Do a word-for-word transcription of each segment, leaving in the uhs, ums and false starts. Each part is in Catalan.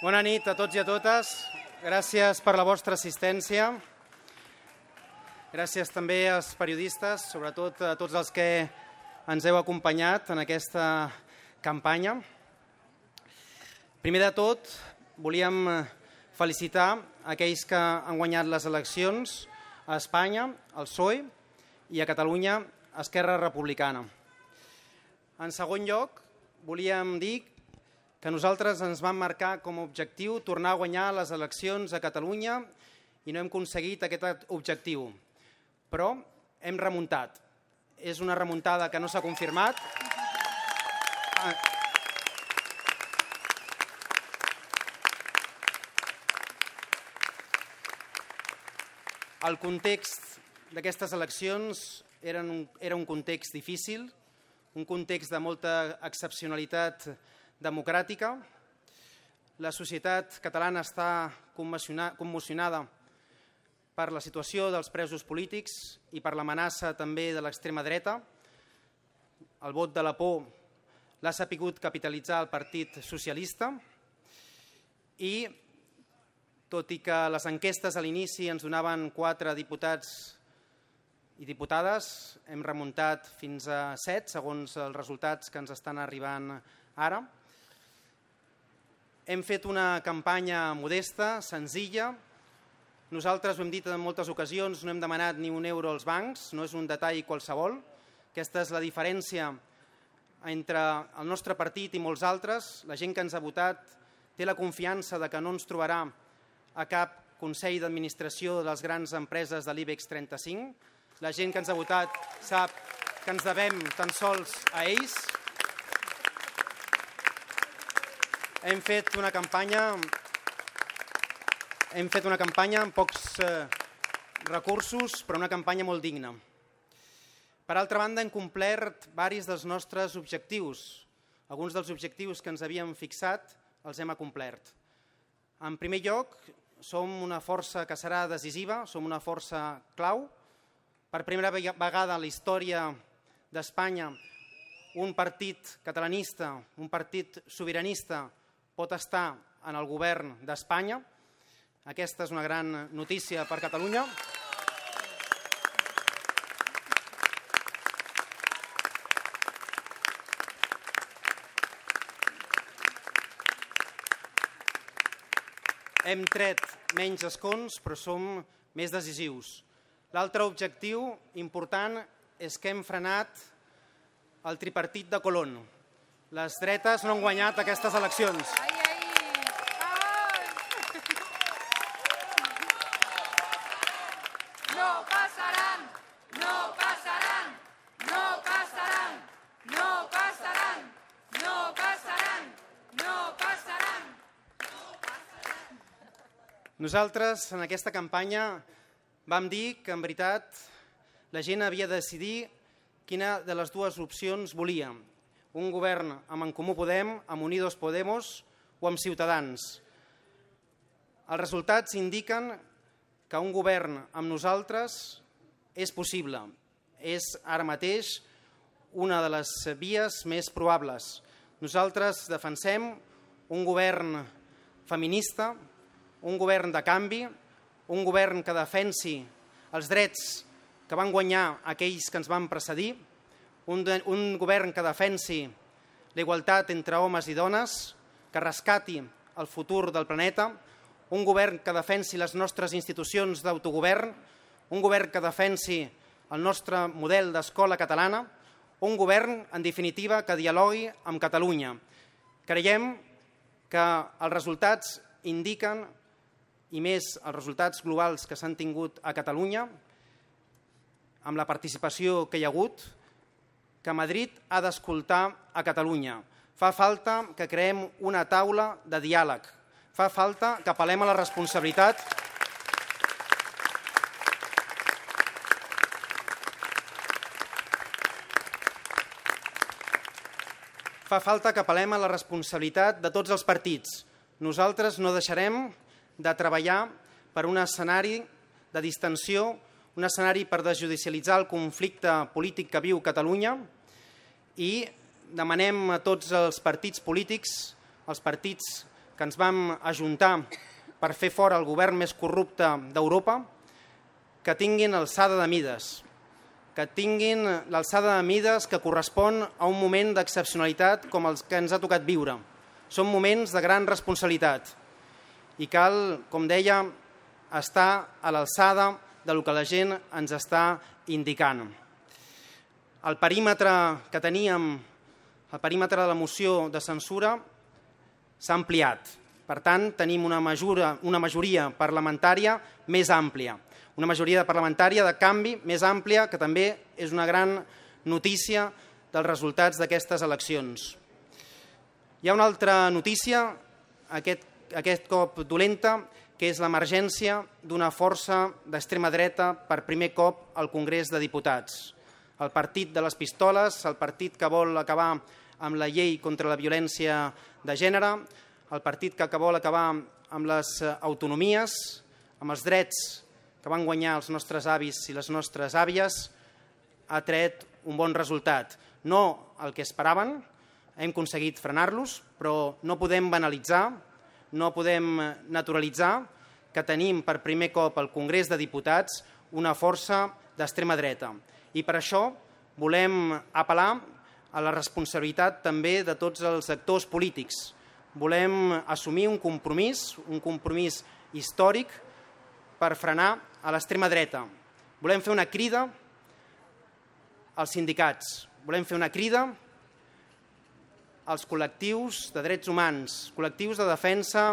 Bona nit a tots i a totes. Gràcies per la vostra assistència. Gràcies també als periodistes, sobretot a tots els que ens heu acompanyat en aquesta campanya. Primer de tot, volíem felicitar aquells que han guanyat les eleccions a Espanya, al P S O E, i a Catalunya, Esquerra Republicana. En segon lloc, volíem dir que nosaltres ens vam marcar com a objectiu tornar a guanyar les eleccions a Catalunya i no hem aconseguit aquest objectiu. Però hem remuntat. És una remuntada que no s'ha confirmat. El context d'aquestes eleccions era un, era un context difícil, un context de molta excepcionalitat democràtica. La societat catalana està commocionada per la situació dels presos polítics i per l'amenaça també de l'extrema dreta. El vot de la por l'ha sabut capitalitzar el Partit Socialista i, tot i que les enquestes a l'inici ens donaven quatre diputats i diputades, hem remuntat fins a set, segons els resultats que ens estan arribant ara. Hem fet una campanya modesta, senzilla. Nosaltres ho hem dit en moltes ocasions, no hem demanat ni un euro als bancs, no és un detall qualsevol. Aquesta és la diferència entre el nostre partit i molts altres. La gent que ens ha votat té la confiança de que no ens trobarà a cap consell d'administració de les grans empreses de l'IBEX trenta-cinc. La gent que ens ha votat sap que ens devem tan sols a ells. Hem fet una campanya, hem fet una campanya amb pocs eh, recursos, però una campanya molt digna. Per altra banda, hem complert diversos dels nostres objectius. Alguns dels objectius que ens havíem fixat els hem acomplert. En primer lloc, som una força que serà decisiva, som una força clau. Per primera vegada a la història d'Espanya, un partit catalanista, un partit sobiranista, pot estar en el govern d'Espanya. Aquesta és una gran notícia per Catalunya. Hem tret menys escons, però som més decisius. L'altre objectiu important és que hem frenat el tripartit de Colón. Les dretes no han guanyat aquestes eleccions. Ai, ai. Ai. No passaran, no passaran, no passaran, no passaran, no passaran, no passaran. Nosaltres, en aquesta campanya, vam dir que, en veritat, la gent havia de decidir quina de les dues opcions volia. Un govern amb En Comú Podem, amb Unidos Podemos o amb Ciutadans. Els resultats indiquen que un govern amb nosaltres és possible. És ara mateix una de les vies més probables. Nosaltres defensem un govern feminista, un govern de canvi, un govern que defensi els drets que van guanyar aquells que ens van precedir, un, de, un govern que defensi la igualtat entre homes i dones, que rescati el futur del planeta, un govern que defensi les nostres institucions d'autogovern, un govern que defensi el nostre model d'escola catalana, un govern, en definitiva, que dialogui amb Catalunya. Creiem que els resultats indiquen, i més els resultats globals que s'han tingut a Catalunya, amb la participació que hi ha hagut, que Madrid ha d'escoltar a Catalunya. Fa falta que creem una taula de diàleg. Fa falta que apel·lem a la responsabilitat. Fa falta que apel·lem a la responsabilitat de tots els partits. Nosaltres no deixarem de treballar per un escenari de distensió, un escenari per desjudicialitzar el conflicte polític que viu Catalunya i demanem a tots els partits polítics, els partits que ens vam ajuntar per fer fora el govern més corrupte d'Europa, que tinguin alçada de mides, que tinguin l'alçada de mides que correspon a un moment d'excepcionalitat com els que ens ha tocat viure. Són moments de gran responsabilitat i cal, com deia, estar a l'alçada del que la gent ens està indicant. El perímetre que teníem, el perímetre de la moció de censura s'ha ampliat. Per tant, tenim una, majora, una majoria parlamentària més àmplia, una majoria parlamentària de canvi més àmplia, que també és una gran notícia dels resultats d'aquestes eleccions. Hi ha una altra notícia, aquest, aquest cop dolenta, que és l'emergència d'una força d'extrema dreta per primer cop al Congrés de Diputats. El partit de les pistoles, el partit que vol acabar amb la llei contra la violència de gènere, el partit que vol acabar amb les autonomies, amb els drets que van guanyar els nostres avis i les nostres àvies, ha tret un bon resultat. No el que esperaven, hem aconseguit frenar-los, però no podem banalitzar, no podem naturalitzar que tenim per primer cop al Congrés de Diputats una força d'extrema dreta. I per això volem apel·lar a la responsabilitat també de tots els actors polítics. Volem assumir un compromís, un compromís històric per frenar a l'extrema dreta. Volem fer una crida als sindicats, volem fer una crida als col·lectius de drets humans, col·lectius de defensa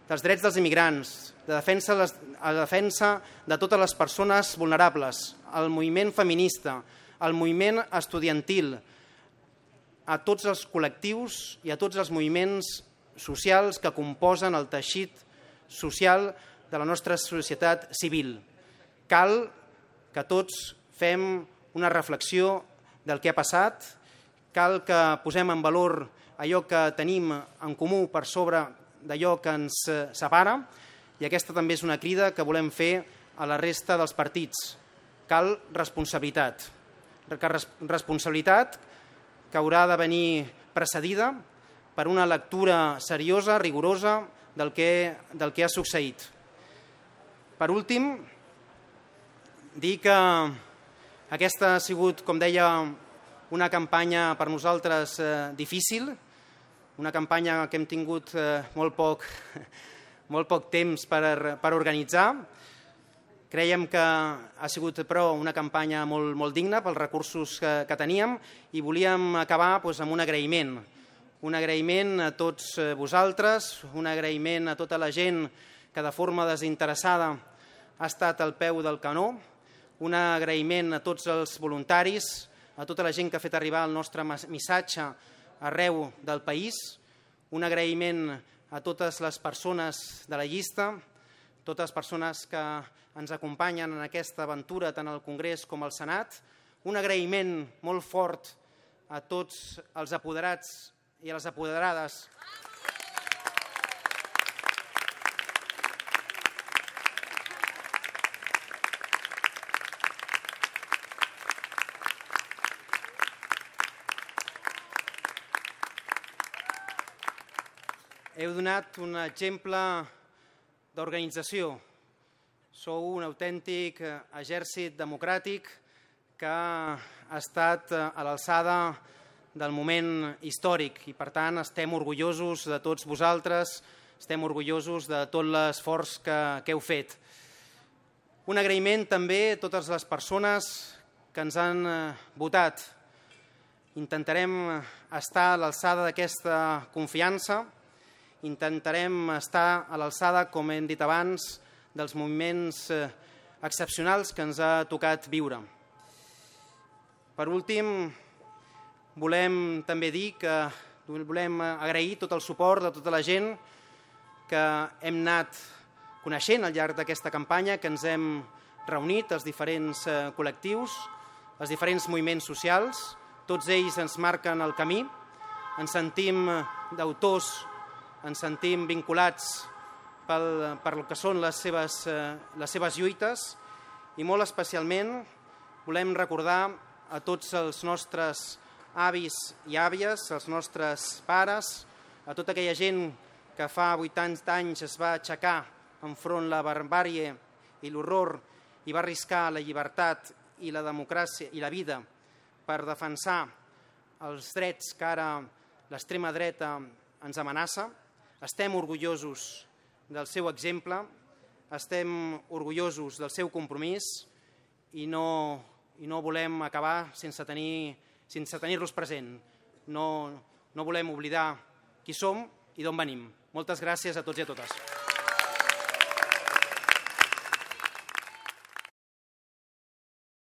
dels drets dels immigrants, de defensa, de defensa de totes les persones vulnerables, al moviment feminista, al moviment estudiantil, a tots els col·lectius i a tots els moviments socials que composen el teixit social de la nostra societat civil. Cal que tots fem una reflexió del que ha passat, cal que posem en valor allò que tenim en comú per sobre d'allò que ens separa, i aquesta també és una crida que volem fer a la resta dels partits. Cal responsabilitat. Responsabilitat que haurà de venir precedida per una lectura seriosa, rigorosa, del que, del que ha succeït. Per últim, dir que aquesta ha sigut, com deia, una campanya per nosaltres eh, difícil, una campanya que hem tingut eh, molt, poc, molt poc temps per, per organitzar. Creiem que ha sigut, però, una campanya molt, molt digna pels recursos que, que teníem i volíem acabar doncs, amb un agraïment. Un agraïment a tots vosaltres, un agraïment a tota la gent que de forma desinteressada ha estat al peu del canó, un agraïment a tots els voluntaris, a tota la gent que ha fet arribar el nostre missatge arreu del país, un agraïment a totes les persones de la llista, totes les persones que ens acompanyen en aquesta aventura tant al Congrés com al Senat, un agraïment molt fort a tots els apoderats i a les apoderades heu donat un exemple d'organització. Sou un autèntic exèrcit democràtic que ha estat a l'alçada del moment històric i, per tant, estem orgullosos de tots vosaltres, estem orgullosos de tot l'esforç que, que heu fet. Un agraïment també a totes les persones que ens han votat. Intentarem estar a l'alçada d'aquesta confiança, intentarem estar a l'alçada, com hem dit abans, dels moments excepcionals que ens ha tocat viure. Per últim, volem també dir que volem agrair tot el suport de tota la gent que hem anat coneixent al llarg d'aquesta campanya, que ens hem reunit, els diferents col·lectius, els diferents moviments socials. Tots ells ens marquen el camí, ens sentim d'autors, ens sentim vinculats pel, per el que són les seves, les seves lluites i molt especialment volem recordar a tots els nostres avis i àvies, els nostres pares, a tota aquella gent que fa vuitanta anys es va aixecar enfront la barbàrie i l'horror i va arriscar la llibertat i la democràcia i la vida per defensar els drets que ara l'extrema dreta ens amenaça. Estem orgullosos del seu exemple, estem orgullosos del seu compromís i no, i no volem acabar sense tenir, sense tenir-los present. No, no volem oblidar qui som i d'on venim. Moltes gràcies a tots i a totes.